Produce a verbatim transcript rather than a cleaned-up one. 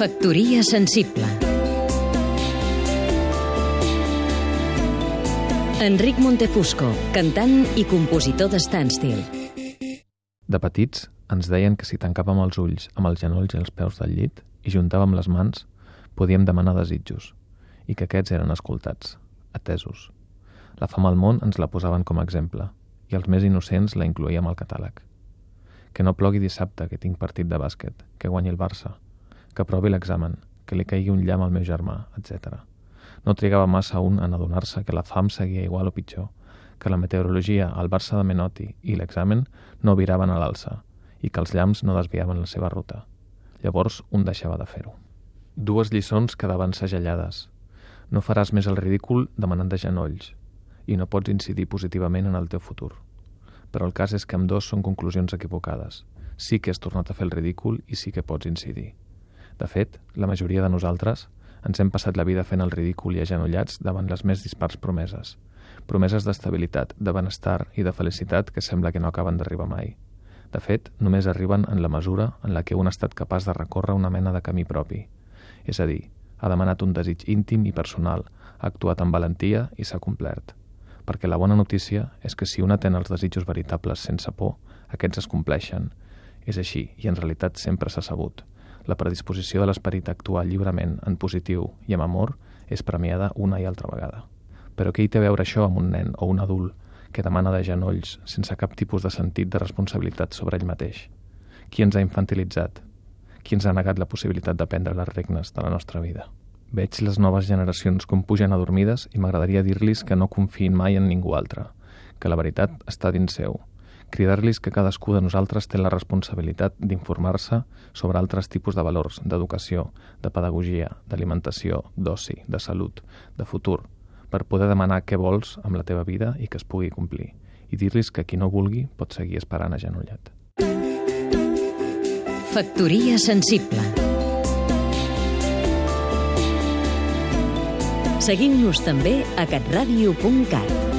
Factoria sensible. Enric Montefusco, cantant i compositor de Standstill. De petits ens deien que si tancàvem els ulls amb els genolls i els peus del llit i juntàvem les mans, podíem demanar desitjos, i que aquests eren escoltats, atesos. La fam al món ens la posaven com a exemple, i els més innocents la incloïem al catàleg. Que no plogui dissabte, que tinc partit de bàsquet, que guanyi el Barça, que aprovi l'examen, que li caigui un llamp al meu germà, etcètera. No trigava massa un en adonar-se que la fam seguia igual o pitjor, que la meteorologia, el Barça de Menotti i l'examen no viraven a l'alça i que els llamps no desviaven la seva ruta. Llavors un deixava de fer-ho. Dues lliçons quedaven segellades. No faràs més el ridícul demanant de genolls i no pots incidir positivament en el teu futur. Però el cas és que ambdós són conclusions equivocades. Sí que has tornat a fer el ridícul i sí que pots incidir. De fet, la majoria de nosaltres ens hem passat la vida fent el ridícul i agenollats davant les més dispars promeses. Promeses d'estabilitat, de benestar i de felicitat que sembla que no acaben d'arribar mai. De fet, només arriben en la mesura en la que un ha estat capaç de recórrer una mena de camí propi. És a dir, ha demanat un desig íntim i personal, ha actuat amb valentia i s'ha complert. Perquè la bona notícia és que si un atén els desitjos veritables sense por, aquests es compleixen. És així, i en realitat sempre s'ha sabut. La predisposició de l'esperit a actuar lliurement, en positiu i amb amor, és premiada una i altra vegada. Però què hi té a veure això amb un nen o un adult que demana de genolls sense cap tipus de sentit de responsabilitat sobre ell mateix? Qui ens ha infantilitzat? Qui ens ha negat la possibilitat de prendre les regnes de la nostra vida? Veig les noves generacions com pugen adormides i m'agradaria dir-los que no confiïn mai en ningú altre, que la veritat està dins seu. Cridar-los que cadascú de nosaltres té la responsabilitat d'informar-se sobre altres tipus de valors, d'educació, de pedagogia, d'alimentació, d'oci, de salut, de futur, per poder demanar què vols amb la teva vida i que es pugui complir, i dir-los que qui no vulgui pot seguir esperant agenollat. Factoria sensible. Seguim-nos també a catradio punt cat.